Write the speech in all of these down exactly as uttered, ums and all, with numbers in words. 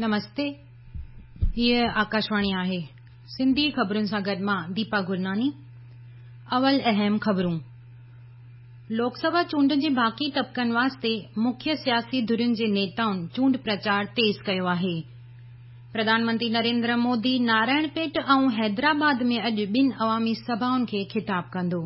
نمستي، هيء آڪاشواڻي آهي. سنڌي خبرن سان گڏ مان ديپا گرناني. اول اهم خبرون. لوڪ سڀا چونڊن جي باقي طبقن واسطي مکيه سياسي ڌرين جي نيتائن چونڊ پرچار تيز ڪيو آهي. پرڌان منتري نريندر مودي نارائڻ پيٽ ۽ حيدرآباد ۾ اڄ ٻن عوامي سڀائن کي خطاب ڪندو.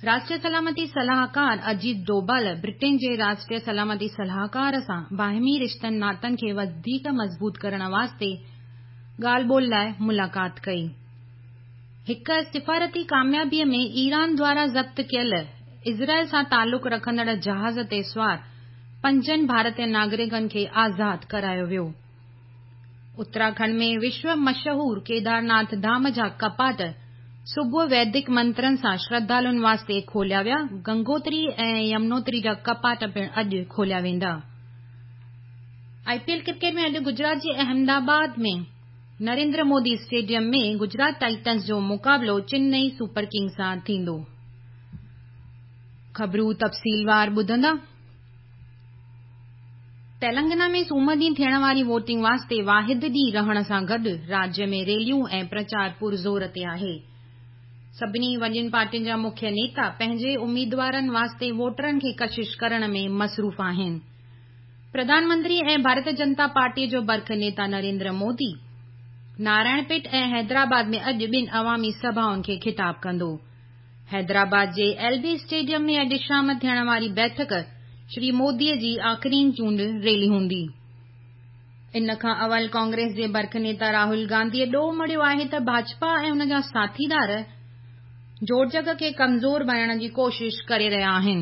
راشٽريه سلامتي صلاحڪار اجيت ڊوڀال برٽين جي راشٽريه سلامتي صلاحڪار سان باهمي رشتن ناتن کي وڌيڪ مضبوط ڪرڻ واسطي ڳالهه ٻولهه لاءِ ملاقات ڪئي. هڪ سفارتي ڪاميابيءَ ۾ ايران دواران ضبط ڪيل اسرائيل سان تعلق رکندڙ جهاز تي سوار پنجن ڀارتيه ناگرڪن کي آزاد ڪرايو ويو. اتراکنڊ ۾ وشو مشهور ڪيدارناٿ ڌام جا ڪپاٽ صبح ويدڪ منترن سان شرڌالن واسطي کوليا ويا. گنگوتري ۽ يمنوتري جا ڪپاٽ پڻ اڄ کوليا ويندا. آئي پي ايل ڪرڪيٽ ۾ اڄ گجرات جي احمدآباد ۾ نريندر مودي اسٽيڊيم ۾ گجرات ٽائٽنز جو مقابلو چنئي سپر ڪنگز سان ٿيندو. خبرون تفصيلوار ٻڌندا. تيلنگانا ۾ سومر ڏينهن ٿيڻ واري ووٽنگ واسطي واحد ڏينهن رهڻ سان گڏ راجيه ۾ ريليون ۽ پرچار پرزور تي آهي. سڀني وڏين پارٽين جا مکيه نيتا پنهنجي اميدوارن واسطي ووٽرن کي ڪشش ڪرڻ ۾ مصروف آهن. پرڌان منتري ۽ ڀارتيه جنتا پارٽيءَ جو برک نيتا نريندر مودي نارائڻ پيٽ ۽ حيدرآباد ۾ اڄ ٻن عوامي سڀائن کي خطاب ڪندو. حيدرآباد جي ايل بي اسٽيڊيم ۾ اڄ شام ٿيڻ واري بيٺڪ شري موديءَ جي آخرين چونڊ ريلي هوندي. ان کان اول ڪانگريس جي برک نيتا راهول گانڌيءَ ڏوهه مڙهيو آهي ته ڀاجپا ۽ ان جا ساٿيدار جوڙجڪ کي ڪمزور بڻائڻ جي ڪوشش ڪري رهيا آهن.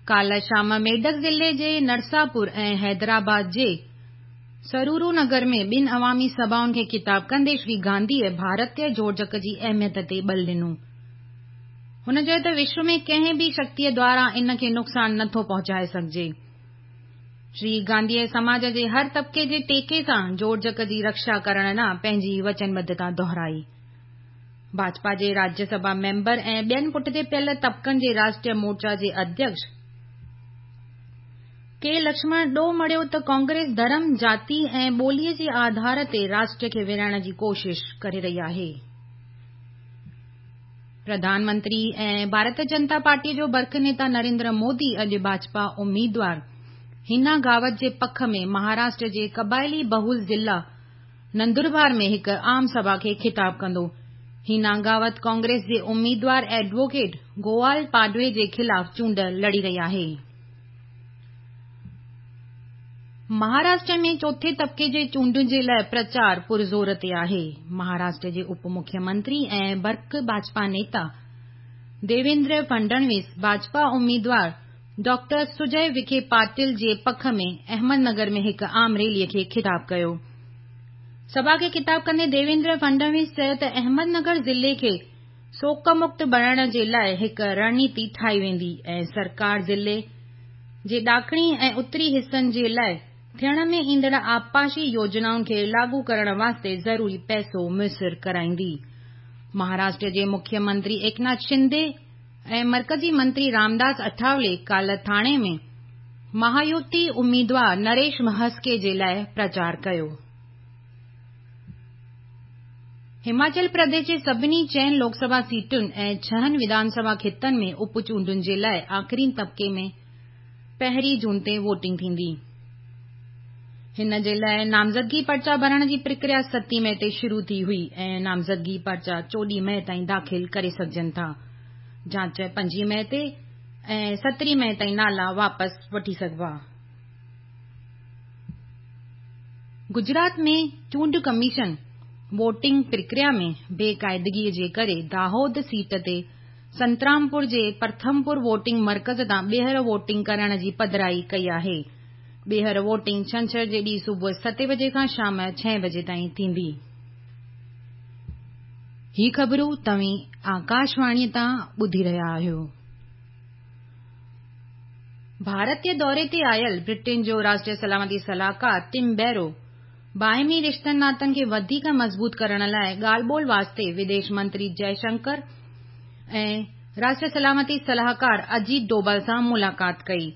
ڪالهه شام ميڊڪ ضلعي جي نرساپور ۽ حيدرآباد جي سرورو نگر ۾ ٻن عوامي سڀائن کي خطاب ڪندي شري گانڌيءَ ڀارتيه جوڙجڪ جي اهميت تي ٻل ڏنو. هن چيو ته وشو ۾ ڪنهن به شڪتيءَ دواران ان کي نقصان نٿو پهچائي سگهجي. شري گانڌيءَ سماج جي هر طبقي جي ٽيڪي سان جوڙجڪ جي رڪشا ڪرڻ ڏانهن پنهنجي وچنبڌتا دهرائي. ڀاجپا جي راجيه سڀا ميمبر ۽ ٻين پٺتي پيل طبقن جي راشٽريه مورچا جي اڌيڪش ڪي لڪشمڻ ڏوهه مڙهيو ته ڪانگريس ڌرم، جاتي ۽ ٻوليءَ جي آڌار تي راشٽر کي ورهائڻ جي ڪوشش ڪري رهي آهي. پرڌان منتري ۽ ڀارتيه جنتا پارٽيءَ جو برک نيتا نريندر مودي اڄ ڀاجپا اميدوار هينا گاوت جي پک ۾ مهاراشٽر جي قبائلي بهول ضلع نندربار ۾ هڪ عام سڀا کي خطاب ڪندو. هينا گاوت ڪانگريس جي اميدوار ايڊووڪيٽ گووال پاڊوي جي خلاف چونڊ لڙي رهي آهي. مهاراشٽر ۾ چوٿين طبقي جي چونڊن جي لاءِ پرچار پرزور تي آهي. مهاراشٽر جي اپ مکيه منتري ۽ برک ڀاجپا نيتا ديويندر فڊنويس ڀاجپا اميدوار ڊاڪٽر سجي وکي پاٽل جي پک ۾ احمد نگر ۾ هڪ عام ريليءَ کي خطاب ڪيو. سڀا کي خطاب ڪندي ديويندر فڊنويس چيو ته احمد نگر ضلعي کي سوڪ مڪت بڻائڻ جي لاءِ هڪ رڻنيتي ٺاهي ويندي ۽ سرڪار ضلعي جي ڏاکڻي ۽ اتري حصن جي لاءِ ٿيڻ ۾ ايندڙ آبپاشي يوجنائن کي لاڳو ڪرڻ واسطي ضروري پئسو ميسر ڪرائيندي. مهاراشٽر جي مکيه منتري ايڪناٿ شندي ۽ مرڪزي منتري رامداس اٺاولي ڪالهه ٿاڻي ۾ مهايوتي اميدوار نريش مهسڪي جي لاءِ پرچار ڪيو. هماچل پرديش جي سڀني چئن لوڪ سڀا سيٽن ۽ ڇهن وڌان سڀا خطن ۾ اپ چونڊن جي لاءِ آخرين طبقي ۾ پهرين جون تي ووٽنگ ٿيندي. هن جي لاءِ نامزدگي پرچا ڀرڻ جي پرڪريا ستين مئي تي شروع ٿي هئي ۽ نامزدگي پرچا چوڏهين مئي تائين داخل ڪري سگهجن ٿا. جاچ پنجويهه مئي تي ۽ سترهين مئي تائين نالا واپس وٺي سگهبا. گجرات ۾ چونڊ ڪميشن ووٽنگ پرڪريا ۾ بيقاعدگيءَ جي ڪري داهود سيٽ تي سنترامپور جي پرٿمپور ووٽنگ مرڪز تان ٻيهر ووٽنگ ڪرائڻ جي پڌرائي ڪئي آهي. ٻيهر ووٽنگ ڇنڇر جي ڏينهن صبح ستين بجي کان شام ڇهين بجي تائين ٿيندي. هي خبرون توهين آڪاشواڻيءَ تان ٻڌي رهيا آهيو. ڀارتيه دوري تي آيل برٽين جو راشٽريه سلامتي صلاحڪار ٽم بيرو باهمي رشتن ناتن کي وڌيڪ مضبوط ڪرڻ لاءِ ڳالهه ٻولهه واسطي وديش منتري جئي شنڪر ۽ راشٽريه سلامتي صلاحڪار اجيت ڊوڀال سان ملاقات ڪئي.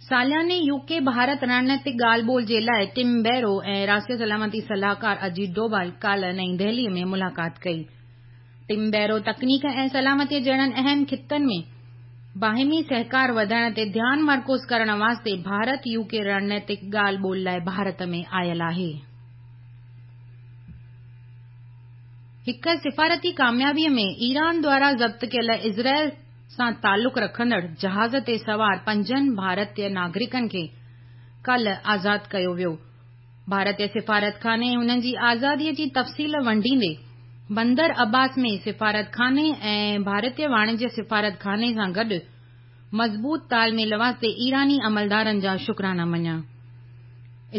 سالياني يوڪي ڀارت رڻنيتڪ ڳالهه ٻولهه جي لاءِ ٽم بيرو ۽ راشٽريه سلامتي صلاحڪار اجيت ڊوڀال ڪالهه نئين دهلي ۾ ملاقات ڪئي. ٽم بيرو تڪنيڪ ۽ سلامتي جهڙن اهم خطن ۾ باهمي سهڪار وڌائڻ تي ڌيان مرڪوز ڪرڻ واسطي ڀارت يوڪي رڻنيتڪ ڳالهه ٻولهه لاءِ ڀارت ۾ آيل آهي. هڪ سفارتي ڪاميابي ۾ ايران دواران ضبط ڪيل اسرائيل سان تعلق رکندڙ جهاز تي سوار پنجن ڀارتيه ناگرڪن کي ڪالهه آزاد ڪيو ويو. ڀارتيه سفارتخاني هنن جي آزادي جي تفصيل ونڊيندي بندر عباس ۾ سفارتخاني ۽ ڀارتيه واڻجيه سفارتخاني سان گڏ مضبوط تال ميل واسطي ايراني عملدارن جا شڪرانا مڃيا.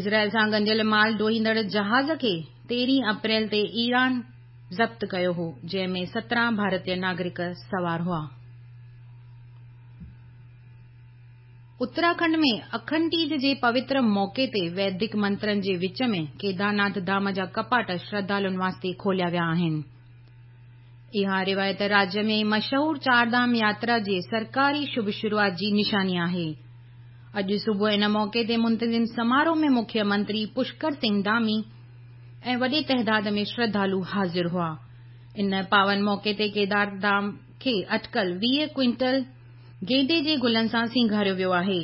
اسرائيل سان ڳنڍيل مال ڍوئيندڙ جهاز کي تيرهين اپريل تي ايران ضبط ڪيو هو، جنهن ۾ سترهن ڀارتيه ناگرڪ سوار هئا. اتراکنڊ ۾ اکنڊ ٽيج جي پوتر موقعي تي ويدڪ منترن جي وچ ۾ ڪيدارناٿ ڌام جا ڪپاٽ شرڌالن واسطي کوليا ويا آهن. اها روايت راجيه ۾ مشهور چار ڌام ياترا جي سرڪاري شڀ شروعات جي نشاني آهي. اڄ صبح ان موقعي تي منتظم سماروهه ۾ مکيه منتري پشڪر سنگهه ڌامي ۽ وڏي تعداد ۾ شرڌالو حاضر هئا. ان پاون موقعي تي ڪيدار ڌام کي اٽڪل ويهه ڪوئنٽل گيندي جي گلن سان سينگاريو ويو آهي،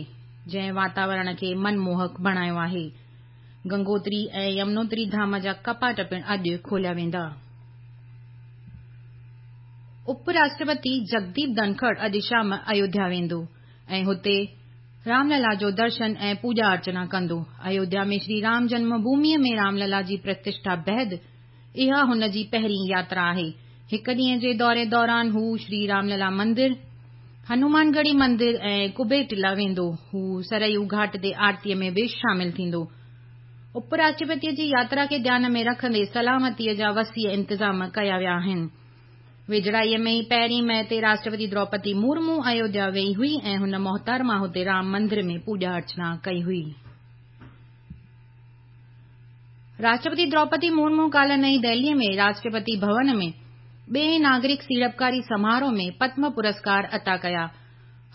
جنهن واتاورڻ کي منموهڪ بڻايو آهي. گنگوتري ۽ يمنوتري ڌام جا ڪپاٽ پڻ اڄ کوليا ويندا. اپ راشٽرپتي جگديپ ڌنکڙ اڄ شام ايوڌيا ويندو ۽ هتي رام للا جو درشن ۽ پوڄا ارچنا ڪندو. ايوڌيا ۾ شري رام جنم ڀومي ۾ رام للا جي پرتشٺا بعد اها هن جي پهرين ياترا آهي. هڪ ڏينهن جي دوري دوران هو شري رام للا مندر، هنومان ڳڙهي مندر ۽ ڪبير ٽلا ويندو. هو سريو گهاٽ تي آرتيءَ ۾ به شامل ٿيندو. اپ راشٽرپتي جي ياترا کي ڌيان ۾ رکندي سلامتي جا وسيع انتظام ڪيا ويا آهن. ويجهڙائيءَ ۾ ئي پهرين مئي تي راشٽرپتي دروپدي مرمو ايوڌيا وئي هئي ۽ هن محترمه هتي رام مندر ۾ پوڄا ارچنا ڪئي هئي. راشٽرپتي دروپدي مرمو ڪالهه نئين دهلي ۾ راشٽرپتي ڀون ۾ ٻئي ناگرڪ سيڙپڪاري سماروهه ۾ پدم پرسڪار عطا ڪيا.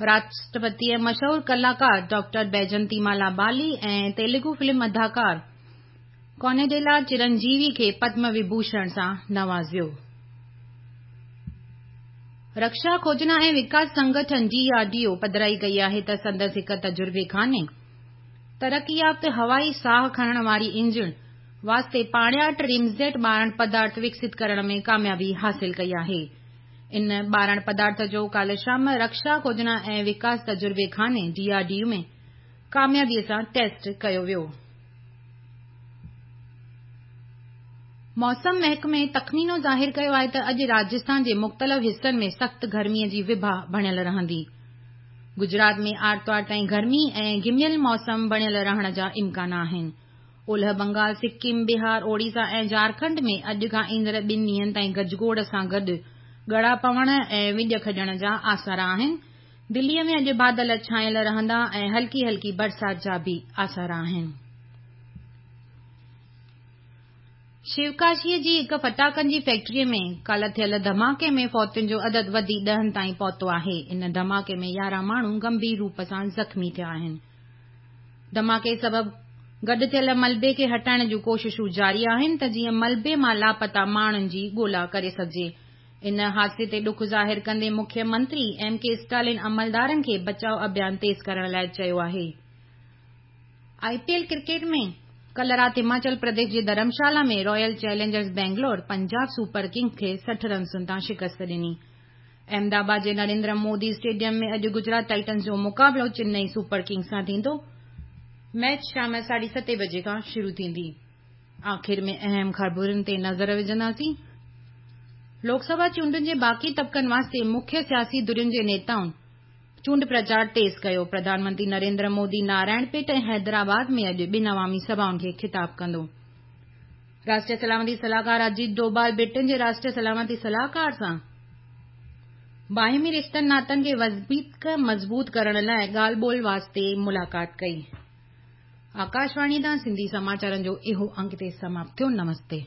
راشٽرپتيءَ مشهور ڪلاڪار ڊاڪٽر بيجنتي مالا بالي ۽ تيلگو فلم اداڪار ڪونيڊيلا چرنجيوي کي پدم وڀوشڻ سان نوازيو. رڪشا کوجنا ۽ وڪاس سنگٺن ڊي آر ڊي او پڌرائي ڪئي آهي ته سندس هڪ تجربي خاني ترقي يافته هوائي ساهه کڻڻ واري انجڻ واسطي پاڻياٺ رمزيٽ ٻارڻ پدارٿ وڪست ڪرڻ ۾ ڪاميابي حاصل ڪئي آهي. ان ٻارڻ پدارٿ جو ڪالهه شام رڪشا کوجنا ۽ وڪاس تجربي خاني ڊي آر ڊي او ۾ ڪاميابي سان ٽيسٽ ڪيو ويو. موسم محڪمي تخمينو ظاهر ڪيو آهي ته اڄ راجسٿان جي مختلف حصن ۾ سخت گرميءَ جي وڀا بڻيل رهندي. گجرات ۾ آرتوار تائين گرمي ۽ گهميل موسم بڻيل رهڻ جا امڪان آهن. اولهه بنگال، سڪم، بهار، اوڙيسا ۽ جهارکنڊ ۾ اڄ کان ايندڙ ٻن ڏينهن تائين گجگوڙ سان گڏ ڳڙا پوڻ ۽ وڄ کڄڻ جا آثار آهن. دليءَ ۾ اڄ بادل ڇانيل رهندا ۽ هلڪي هلڪي برسات جا به آثار آهن. شوڪاشيءَ جي هڪ ڦٽاڪن جي فيڪٽريءَ ۾ ڪالهه ٿيل ڌماڪي ۾ فوتين جو عدد وڌي ڏهن تائين پهتو آهي. ان ڌماڪي ۾ يارهن ماڻهو گنڀير روپ سان زخمي ٿيا آهن. ڌماڪي سبب گڏ ٿيل ملبي کي هٽائڻ جون ڪوششون جاري آهن ته جيئن ملبي مان لاپتا ماڻهن جي ڳولا ڪري سگهجي. ان حادثي تي ڏک ظاهر ڪندي مکيه منتري ايم ڪي اسٽالن عملدارن کي بچاءُ اڀيان تيز ڪرڻ لاءِ چيو آهي. آئي پي ايل ڪرڪيٽ ۾ ڪالهه رات هماچل پرديش جي dharamshala ۾ Royal Challengers Bangalore Punjab Super Kings کي سٺ رنسن تان شڪست ڏني. احمدآباد جي نريندر مودي اسٽيڊيم ۾ اڄ گجرات ٽائٽنز جو مقابلو چنئي سپر ڪنگز سان ٿيندو. ميچ شام ساڍي ستين بجي کان شروع ٿيندي. آخر ۾ اهم خبرن تي نظر وجهنداسين. لوڪ سڀا چونڊن جي باقي طبقن واسطي مکيه سياسي ڌرين جي نيتائن چونڊ پرچار تيز ڪيو. پرڌان منتري نريندر مودي نارائڻ پيٽ ۽ حيدرآباد ۾ اڄ ٻن عوامي سڀائن کي خطاب ڪندو. راشٽريه سلامتي صلاحڪار اجيت ڊوڀال برٽن جي راشٽريه سلامتي صلاحڪار سان باهمي رشتن ناتن کي وڌيڪ مضبوط ڪرڻ لاءِ ڳالهه ٻولهه واسطي ملاقات ڪئي. آڪاشواڻي تان سنڌي سماچارن جو اهو انڪ هتي سماپت ٿيو. نمستي.